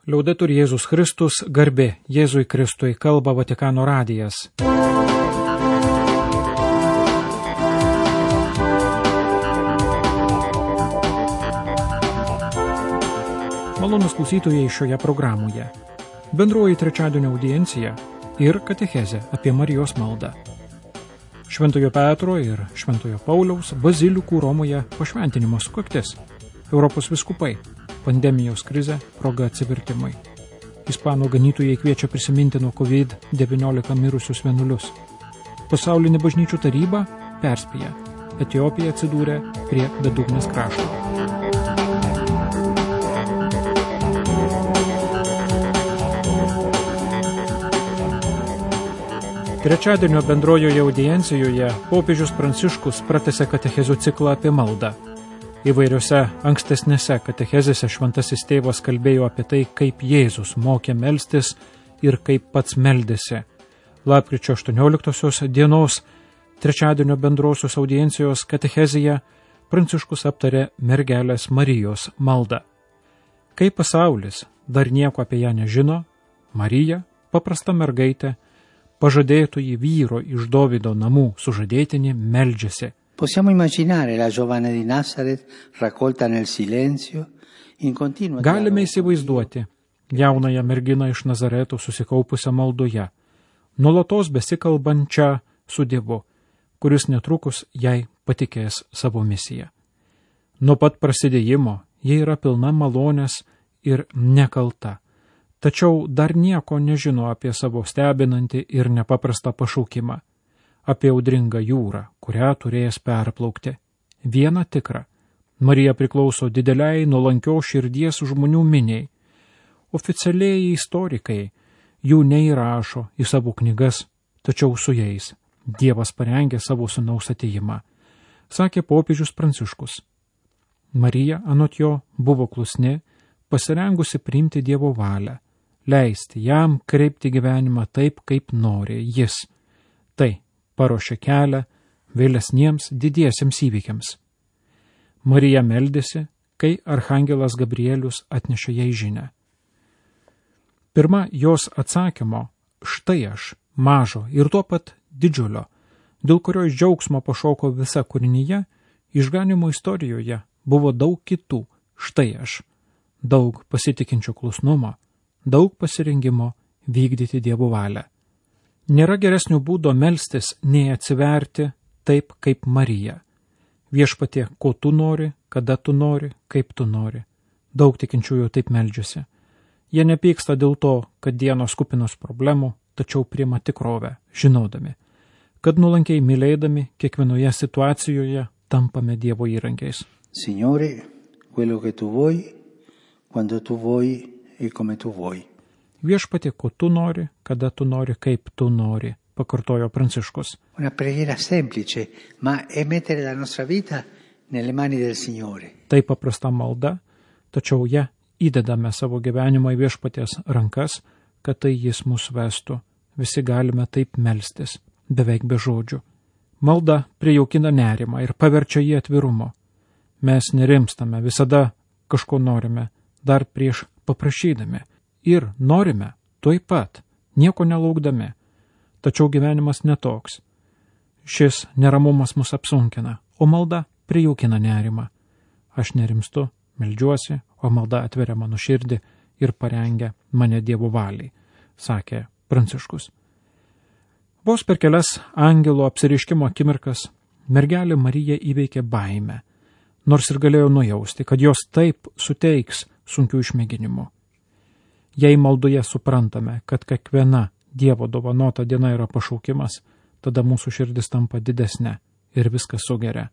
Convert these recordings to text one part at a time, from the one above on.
Liaudetur Jėzus Kristus, garbė Jėzui Kristui, kalba Vatikano radijas. Malonūs klausytojai šioje programoje. Bendroji trečiadienio audiencija ir katechezė apie Marijos maldą. Šventojo Petro ir Šventojo Pauliaus bazilikų Romoje pašventinimo sukaktis. Europos vyskupai. Pandemijos krizė, proga atsivertimui. Ispanų ganytojai kviečia prisiminti nuo COVID-19 mirusius vienuolius. Pasaulinė bažnyčių taryba perspėja. Etiopija atsidūrė prie bedugnės krašto. Trečiadienio bendrojoje audiencijoje popiežius Pranciškus pratęsė katechezių ciklą apie maldą. Įvairiose ankstesnėse katechezėse šventasis tėvas kalbėjo apie tai, kaip Jėzus mokė melstis ir kaip pats meldėsi. Lapkričio 18 dienos trečiadienio bendrosios audiencijos katechezėje Pranciškus aptarė mergelės Marijos maldą. Kai pasaulis dar nieko apie ją nežino, Marija, paprasta mergaitė, pažadėtoji vyro iš Dovydo namų sužadėtinė, meldžiasi. Possiamo immaginare la giovane di Nazaret raccolta nel silenzio in continua. Galime įsivaizduoti jaunąją merginą iš Nazareto susikaupusią maldoje, nuolatos besikalbančią su Dievu, kuris netrukus jai patikės savo misiją. Nuo pat prasidėjimo ji yra pilna malonės ir nekalta, tačiau dar nieko nežino apie savo stebinantį ir nepaprastą pašaukimą. Apie audringą jūrą, kurią turės perplaukti. Viena tikra. Marija priklauso dideliai nuolankios širdies žmonių miniai. Oficialiai istorikai jų neįrašo į savo knygas, tačiau su jais Dievas parengė savo sūnaus atėjimą, sakė popiežius Pranciškus. Marija, anot jo, buvo klusni, pasirengusi priimti Dievo valią, leisti jam kreipti gyvenimą taip, kaip nori jis. Tai paruošė kelią vėlesniems didiesiems įvykiams. Marija meldėsi, kai archangelas Gabrielius atnešė jai žinią. Pirma jos atsakymo, štai aš, mažo ir tuo pat didžiulio, dėl kurio iš džiaugsmo pašoko visa kūrinyje, išganimo istorijoje buvo daug kitų, štai aš, daug pasitikinčio klusnumo, daug pasirengimo vykdyti Dievo valią. Nėra geresnio būdo melstis, nei atsiverti taip, kaip Marija. Viešpatie, ko tu nori, kada tu nori, kaip tu nori. Daug tikinčiųjų taip meldžiasi. Jie nepyksta dėl to, kad dienos kupinos problemų, tačiau priima tikrovę, žinodami, kad nuolankiai mylėdami kiekvienoje situacijoje tampame Dievo įrankiais. Signore, quello che tu vuoi, quando tu vuoi e come tu vuoi. Viešpatie, ko tu nori, kada tu nori, kaip tu nori, pakartojo Pranciškus. Una preghiera semplice, ma è mettere la nostra vita nelle mani del Signore. Tai paprasta malda, tačiau ją įdedame savo gyvenimą į Viešpaties rankas, kad tai jis mus vestų. Visi galime taip melstis, beveik be žodžių. Malda prijaukina nerimą ir paverčia jį atvirumo. Mes nerimstame, visada kažko norime, dar prieš paprašydami. Ir norime, tuoj pat, nieko nelaukdami. Tačiau gyvenimas netoks. Šis neramumas mus apsunkina, o malda prijaukina nerimą. Aš nerimstu, meldžiuosi, o malda atveria mano širdį ir parengia mane Dievo valiai, sakė Pranciškus. Vos per kelias angelo apsireiškimo akimirkas mergelė Marija įveikė baimę, nors ir galėjo nujausti, kad jos taip suteiks sunkių išmėginimų. Jei maldoje suprantame, kad kiekviena Dievo dovanota diena yra pašaukimas, tada mūsų širdis tampa didesnė ir viskas sugeria.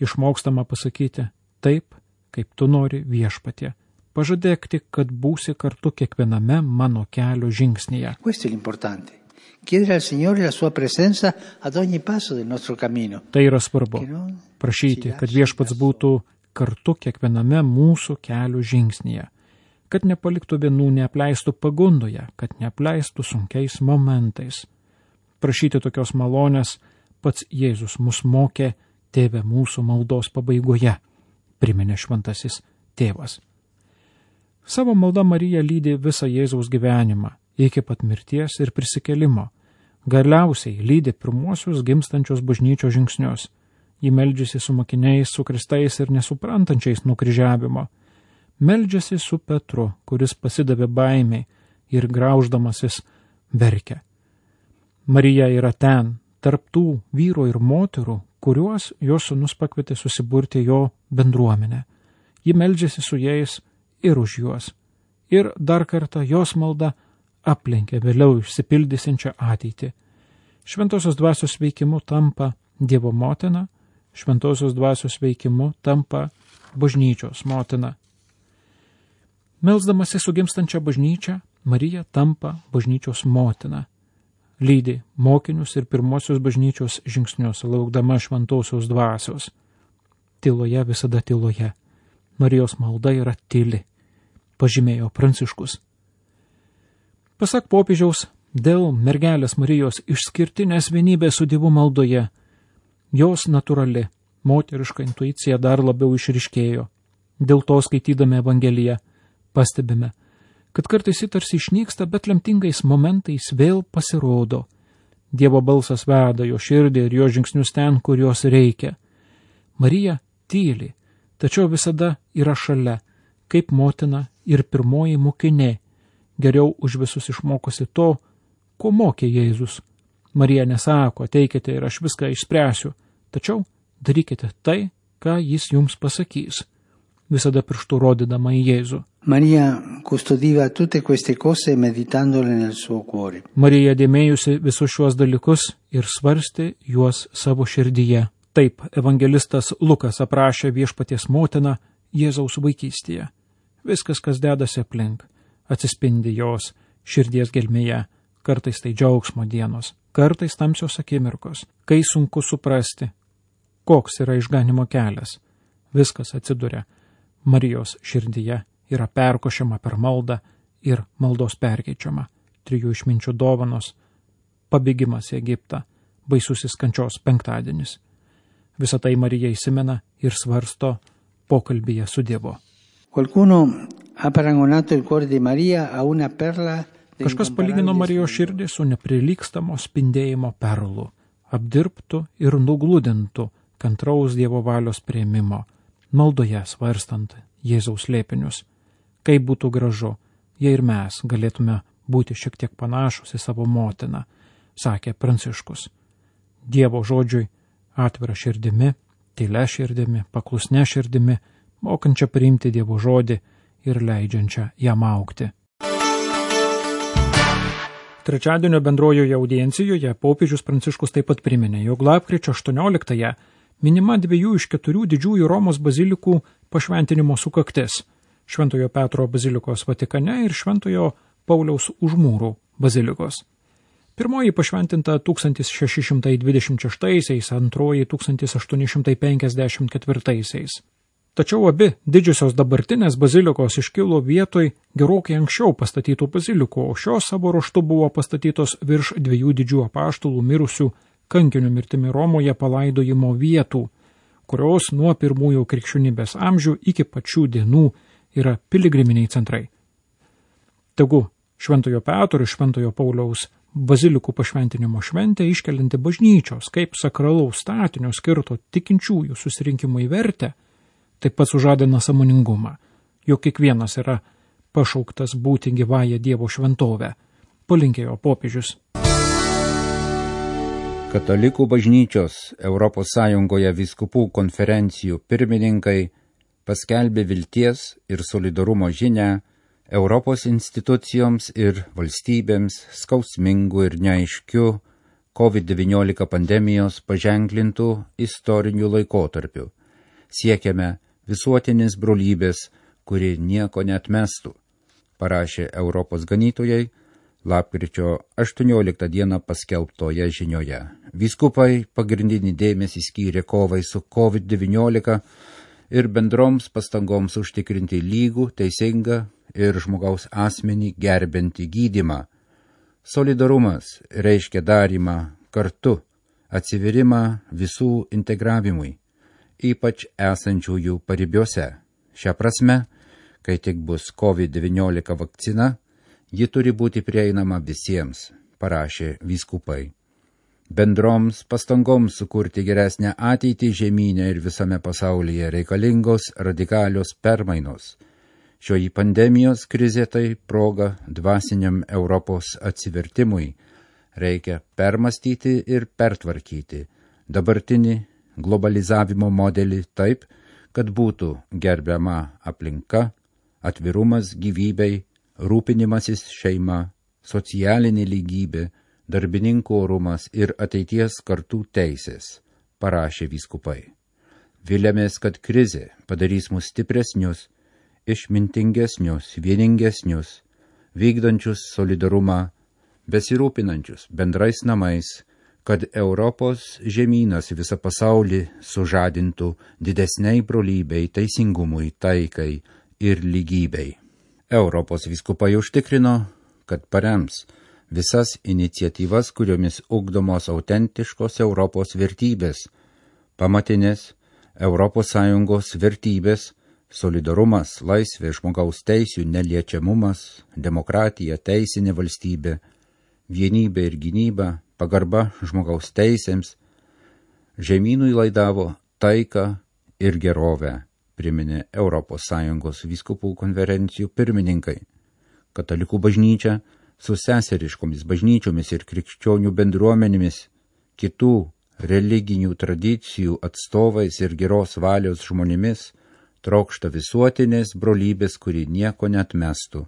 Išmokstama pasakyti taip, kaip tu nori, Viešpatie. Pažadėk tik, kad būsi kartu kiekviename mano kelio žingsnyje. Questo è l'importante. Chiedere al Signore la sua presenza ad ogni passo del nostro cammino. Tai yra svarbu. Prašyti, kad Viešpats būtų kartu kiekviename mūsų kelio žingsnyje. Kad nepaliktų vienų, neapleistų pagundoje, kad neapleistų sunkiais momentais. Prašyti tokios malonės pats Jėzus mus mokė Tėve mūsų maldos pabaigoje, priminė šventasis tėvas. Savo malda Marija lydi visą Jėzaus gyvenimą, iki pat mirties ir prisikėlimo. Galiausiai lydi pirmuosius gimstančios bažnyčios žingsnius. Ji meldžiasi su mokiniais, su kristais ir nesuprantančiais nukryžiavimo. Meldžiasi su Petru, kuris pasidavė baimiai ir grauždamasis verkia. Marija yra ten, tarp tų vyro ir moterų, kuriuos jos sūnus pakvietė susiburti jo bendruomenę. Ji meldžiasi su jais ir už juos. Ir dar kartą jos malda aplenkia vėliau išsipildysiančią ateitį. Šventosios dvasios veikimu tampa Dievo motina, Šventosios dvasios veikimu tampa bažnyčios motina. Melsdamasi su gimstančia bažnyčia, Marija tampa bažnyčios motina. Lydi mokinius ir pirmosios bažnyčios žingsnius, laukdama šventosios dvasios. Tyloje visada tyloje. Marijos malda yra tyli, pažymėjo Pranciškus. Pasak popiežiaus, dėl mergelės Marijos išskirtinės vienybės su Dievu maldoje, jos natūrali, moteriška intuicija dar labiau išryškėjo. Dėl to skaitydami Evangeliją pastebime, kad kartais ji tarsi išnyksta, bet lemtingais momentais vėl pasirodo. Dievo balsas veda jo širdį ir jo žingsnius ten, kur jos reikia. Marija tyli, tačiau visada yra šalia, kaip motina ir pirmoji mokinė, geriau už visus išmokosi to, ko mokė Jėzus. Marija nesako, ateikite ir aš viską išspręsiu, tačiau darykite tai, ką jis jums pasakys, visada pirštų rodydama į Jėzų. Maria custodiva tutte queste cose meditandole nel suo cuore. Marija dėmėjusi visus šiuos dalykus ir svarstė juos savo širdyje. Taip evangelistas Lukas aprašė viešpaties motiną Jėzaus vaikystėje. Viskas, kas dedasi aplink, atsispindi jos širdies gelmėje. Kartais tai džiaugsmo dienos, kartais tamsios akimirkos, kai sunku suprasti, koks yra išganimo kelias. Viskas atsiduria Marijos širdyje, yra perkošiama per maldą ir maldos perkeičiama. 3 išminčių dovanos, pabėgimas į Egiptą, baisusis kančios penktadienis. Visą tai Marija įsimena ir svarsto pokalbyje su Dievu. Qualcuno ha paragonato il cuore di Maria a una perla. Kažkas palygino Marijos širdį su neprilygstamo spindėjimo perlu, apdirbtų ir nugludintų kantraus Dievo valios priėmimo, maldoje svarstant Jėzaus slėpinius. Kaip būtų gražu, jei ir mes galėtume būti šiek tiek panašus į savo motiną, sakė Pranciškus. Dievo žodžiui atvira širdimi, tylia širdimi, paklusne širdimi, mokančia priimti Dievo žodį ir leidžiančia jam augti. Trečiadienio bendrojoje audiencijoje popiežius Pranciškus taip pat priminė, jog lapkričio 18-ąją minima 2 iš 4 didžiųjų Romos bazilikų pašventinimo sukaktis – Šventojo Petro bazilikos Vatikane ir Šventojo Pauliaus Užmūrų bazilikos. Pirmoji pašventinta 1626-aisiais, antroji 1854-aisiais. Tačiau abi didžiosios dabartinės bazilikos iškilo vietoj gerokai anksčiau pastatytų bazilikų, o šios savo ruožtu buvo pastatytos virš 2 didžių apaštalų mirusių kankinių mirtimi Romoje palaidojimo vietų, kurios nuo pirmųjų krikščionybės amžių iki pačių dienų yra piligriminiai centrai. Tegu Šventojo Petro ir Šventojo Pauliaus bazilikų pašventinimo šventė iškelinti bažnyčios kaip sakralaus statinio skirto tikinčiųjų susirinkimui vertę, taip pat sužadina sąmoningumą, jog kiekvienas yra pašauktas būti gyvąją Dievo šventovę, palinkėjo popiežius. Katalikų bažnyčios ES vyskupų konferencijų pirmininkai paskelbė vilties ir solidarumo žinią Europos institucijoms ir valstybėms skausmingų ir neaiškių COVID-19 pandemijos paženklintų istorinių laikotarpių. Siekiame visuotinės brolybės, kuri nieko neatmestų, parašė Europos ganytojai lapkričio 18 dieną paskelbtoje žinioje. Vyskupai pagrindinį dėmesį skyrė kovai su COVID-19 ir bendroms pastangoms užtikrinti lygų, teisingą ir žmogaus asmenį gerbentį gydymą. Solidarumas reiškia darymą kartu, atsiverimą visų integravimui, ypač esančiųjų paribiuose. Šią prasme, Kai tik bus COVID-19 vakcina, ji turi būti prieinama visiems, parašė vyskupai. Bendroms pastangoms sukurti geresnę ateitį žemyne ir visame pasaulyje reikalingos radikalios permainos. Šioji pandemijos krizė tai proga dvasiniam Europos atsivertimui. Reikia permastyti ir pertvarkyti dabartinį globalizavimo modelį taip, kad būtų gerbiama aplinka, atvirumas gyvybei, rūpinimasis šeima, socialinė lygybė, darbininkų orumas ir ateities kartų teisės, parašė vyskupai. Viliamės, kad krizė padarys mus stipresnius, išmintingesnius, vieningesnius, vykdančius solidarumą, besirūpinančius bendrais namais, kad Europos žemynas visą pasaulį sužadintų didesniai brolybei, teisingumui, taikai ir lygybei. Europos vyskupai užtikrino, kad parems visas iniciatyvas, kuriomis ugdomos autentiškos Europos vertybės, pamatinės ES vertybės, solidarumas, laisvė, žmogaus teisių neliečiamumas, demokratija, teisinė valstybė, vienybė ir gynyba, pagarba žmogaus teisėms, žemynui laidavo taiką ir gerovę, priminė ES vyskupų konferencijų pirmininkai. Katalikų bažnyčia su seseriškomis bažnyčiomis ir krikščionių bendruomenėmis, kitų religinių tradicijų atstovais ir geros valios žmonėmis trokšta visuotinės brolybės, kuri nieko neatmestų.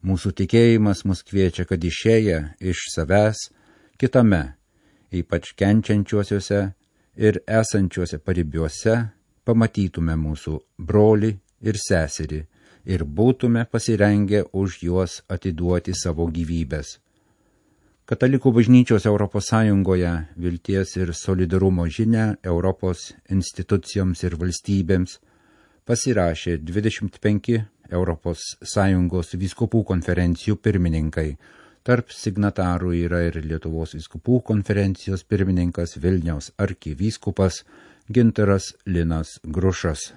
Mūsų tikėjimas mus kviečia, kad išėję iš savęs kitame, ypač kenčiančiuosiuose ir esančiuose paribiuose, pamatytume mūsų brolį ir seserį ir būtume pasirengę už juos atiduoti savo gyvybės. Katalikų bažnyčios ES vilties ir solidarumo žinia Europos institucijoms ir valstybėms pasirašė 25 ES vyskupų konferencijų pirmininkai. Tarp signatarų yra ir Lietuvos vyskupų konferencijos pirmininkas Vilniaus arkivyskupas Gintaras Linas Grušas.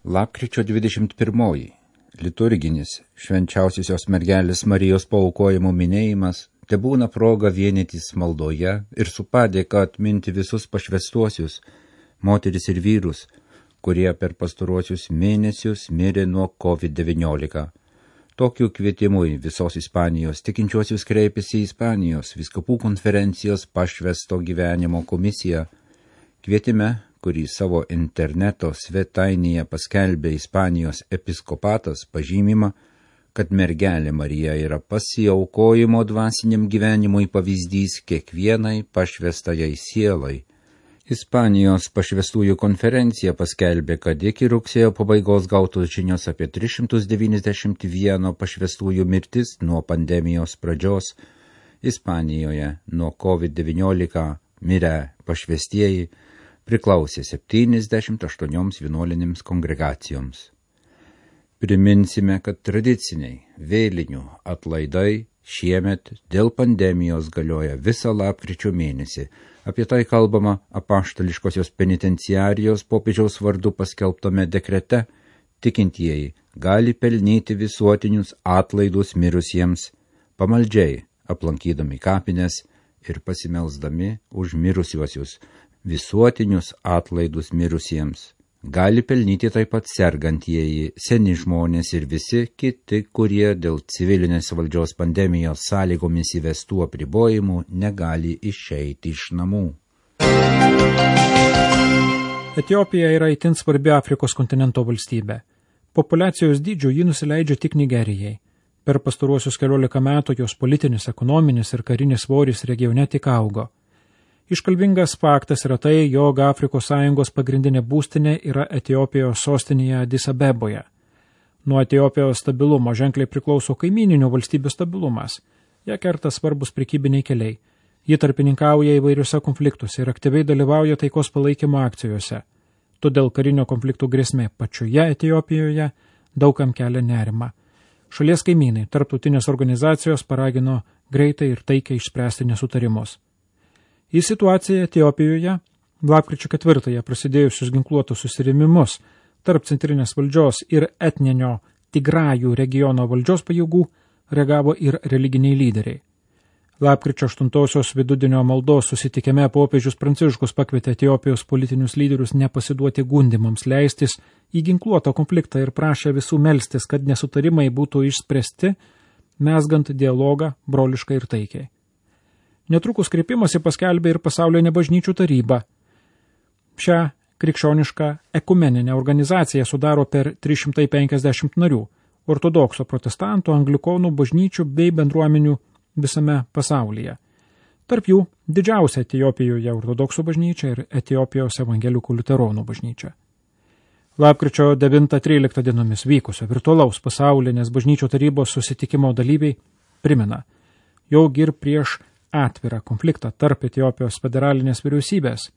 Lapkričio 21. Liturginis švenčiausiosios mergelės Marijos paaukojimo minėjimas tebūna proga vienytis maldoje ir su padėka atminti visus pašvęstuosius, moteris ir vyrus, kurie per pastaruosius mėnesius mirė nuo COVID-19. Tokiu kvietimui visos Ispanijos tikinčiuosius kreipėsi į Ispanijos vyskupų konferencijos pašvęsto gyvenimo komisiją. Kvietime, kurį savo interneto svetainėje paskelbė Ispanijos episkopatas, pažymima, kad mergelė Marija yra pasiaukojimo dvasiniam gyvenimui pavyzdys kiekvienai pašvęstajai sielai. Ispanijos pašvęstųjų konferencija paskelbė, kad iki rugsėjo pabaigos gautos žinios apie 391 pašvęstųjų mirtis nuo pandemijos pradžios. Ispanijoje nuo COVID-19 mirę pašvęstieji priklausė 78 vienuolinėms kongregacijoms. Priminsime, kad tradiciniai vėlinių atlaidai šiemet dėl pandemijos galioja visą lapkričio mėnesį. Apie tai kalbama apaštališkosios penitenciarijos popiežiaus vardu paskelbtame dekrete. Tikintieji gali pelnyti visuotinius atlaidus mirusiems, pamaldžiai aplankydami kapines ir pasimelsdami už mirusiuosius. Visuotinius atlaidus mirusiems gali pelnyti taip pat sergantieji, seni žmonės ir visi kiti, kurie dėl civilinės valdžios pandemijos sąlygomis įvestų apribojimų negali išeiti iš namų. Etiopija yra itin svarbi Afrikos kontinento valstybė. Populiacijos dydžiu ji nusileidžia tik Nigerijai. Per pastaruosius 14 metų jos politinis, ekonominis ir karinis svoris regione tik augo. Iškalbingas faktas yra tai, jog Afrikos Sąjungos pagrindinė būstinė yra Etiopijos sostinėje Adis Abeboje. Nuo Etiopijos stabilumo ženkliai priklauso kaimyninių valstybių stabilumas. Ją kerta svarbus prekybiniai keliai. Ji tarpininkauja įvairiuose konfliktuose ir aktyviai dalyvauja taikos palaikymo akcijose. Todėl karinio konfliktų grėsmė pačioje Etiopijoje daugam kelia nerimą. Šalies kaimynai, tarptautinės organizacijos paragino greitai ir taikiai išspręsti nesutarimus. Į situaciją Etiopijoje lapkričio 4 prasidėjusius ginkluotus susirėmimus tarp centrinės valdžios ir etninio Tigrajų regiono valdžios pajėgų reagavo ir religiniai lyderiai. Lapkričio 8 vidudienio maldos susitikime popiežius Pranciškus pakvietė Etiopijos politinius lyderius nepasiduoti gundimams, leistis į ginkluotą konfliktą ir prašė visų melstis, kad nesutarimai būtų išspręsti, mezgant dialogą broliškai ir taikiai. Netrukus kreipimąsi paskelbė ir Pasaulinė bažnyčių taryba. Šią krikščionišką ekumeninę organizaciją sudaro per 350 narių, ortodoksų, protestantų, anglikonų bažnyčių bei bendruomenių visame pasaulyje. Tarp jų didžiausia Etiopijoje ortodoksų bažnyčia ir Etiopijos evangelikų liuteronų bažnyčia. Lapkričio 9-13 dienomis vykusio virtualaus pasaulinės bažnyčių tarybos susitikimo dalyviai primena, jog ir prieš atvirą konfliktą tarp Etiopijos federalinės vyriausybės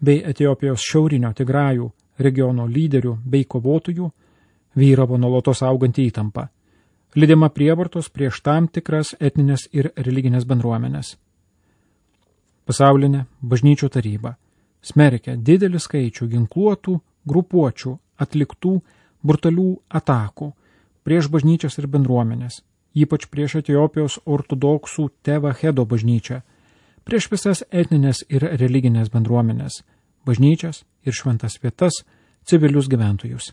bei Etiopijos šiaurinio Tigrajų regiono lyderių bei kovotojų vyravo nuolatos auganti įtampa, lydima prievartos prieš tam tikras etninės ir religinės bendruomenės. Pasaulinė bažnyčių taryba smerkia didelį skaičių ginkluotų grupuočių atliktų brutalių atakų prieš bažnyčias ir bendruomenės, ypač prieš Etiopijos ortodoksų Tevahedo bažnyčią, prieš visas etninės ir religinės bendruomenės, bažnyčias ir šventas vietas, civilius gyventojus.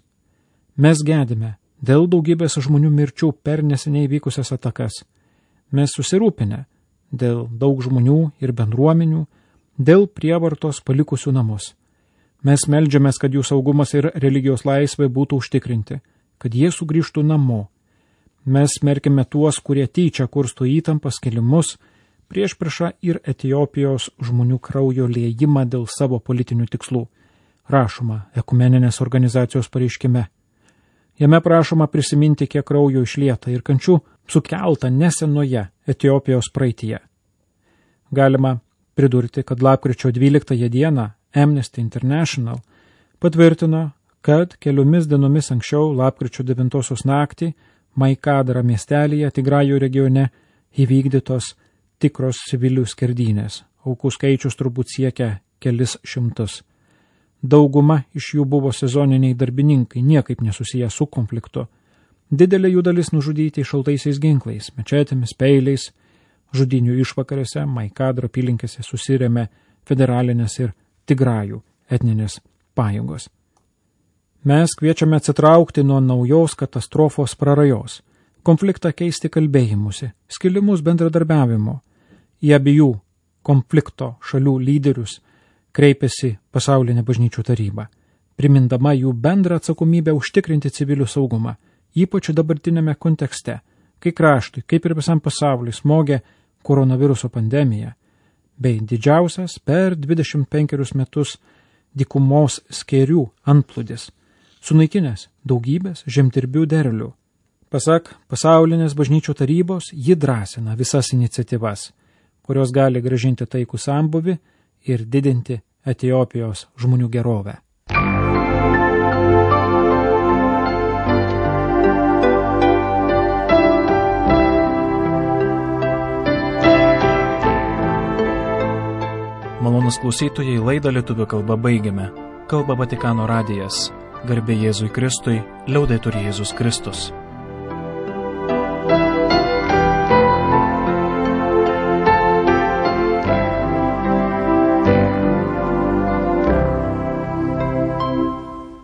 Mes gedime dėl daugybės žmonių mirčių per neseniai vykusias atakas. Mes susirūpinę dėl daug žmonių ir bendruomenių, dėl prievartos palikusių namus. Mes meldžiamės, kad jų saugumas ir religijos laisvė būtų užtikrinti, kad jie sugrįžtų namo. Mes smerkime tuos, kurie tyčia kursto įtampas, kilimus, priešpriešą ir Etiopijos žmonių kraujo liejimą dėl savo politinių tikslų, rašoma ekumeninės organizacijos pareiškime. Jame prašoma prisiminti, kiek kraujo išlieta ir kančių sukelta nesenoje Etiopijos praeityje. Galima pridurti, kad lapkričio 12 dieną Amnesty International patvirtino, kad keliomis dienomis anksčiau lapkričio 9 naktį Maikadra miestelyje Tigrajų regione įvykdytos tikros civilių skerdynės. Aukų skaičius turbūt siekia kelis šimtus. Dauguma iš jų buvo sezoniniai darbininkai, niekaip nesusiję su konfliktu. Didelė jų dalis nužudyti šaltaisiais ginklais, mečetėmis, peiliais. Žudynių išvakarėse Maikadro apylinkėse susirėmė federalinės ir Tigrajų etninės pajėgos. Mes kviečiame atsitraukti nuo naujos katastrofos prarajos, konfliktą keisti kalbėjimusi, skilimus bendradarbiavimo. Į abiejų konflikto šalių lyderius kreipėsi Pasaulinė bažnyčių taryba, primindama jų bendrą atsakomybę užtikrinti civilių saugumą, ypač dabartinėme kontekste, kai kraštui, kaip ir visam pasauliui, smogė koronaviruso pandemija, bei didžiausias per 25 metus dykumos skėrių antplūdis, sunaikinęs daugybės žemdirbių derlių. Pasak Pasaulinės bažnyčių tarybos, ji drąsina visas iniciatyvas, kurios gali grąžinti taikų sambuvį ir didinti Etiopijos žmonių gerovę. Malonūs klausytojai, laidą lietuvių kalba baigiame. Kalba Vatikano radijas. Garbė Jėzui Kristui, liaudetur Jėzus Kristus.